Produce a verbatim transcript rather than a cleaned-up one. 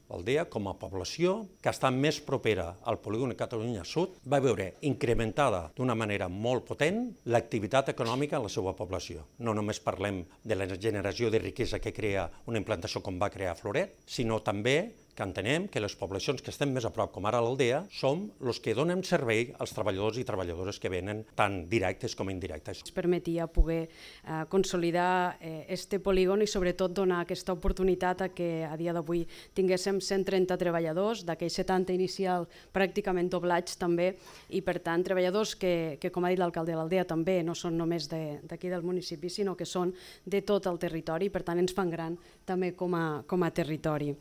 L'Aldea, com a població que està més propera al polígon de Catalunya Sud, va veure incrementada d'una manera molt potent l'activitat econòmica en la seva població. No només parlem de la generació de riquesa que crea una implantació com va crear Floret, sinó també que entenem que les poblacions que estem més a prop, com ara l'Aldea, som els que donem servei als treballadors i treballadores que venen tant directes com indirectes. Ens permetia poder eh, consolidar eh, este polígon i sobretot donar aquesta oportunitat a que a dia d'avui tinguéssim cent trenta treballadors, d'aquells setanta inicial pràcticament doblats també, i per tant treballadors que, que com ha dit l'alcalde de l'Aldea, també no són només d'aquí del municipi, sinó que són de tot el territori i per tant ens fan gran també com a, com a territori.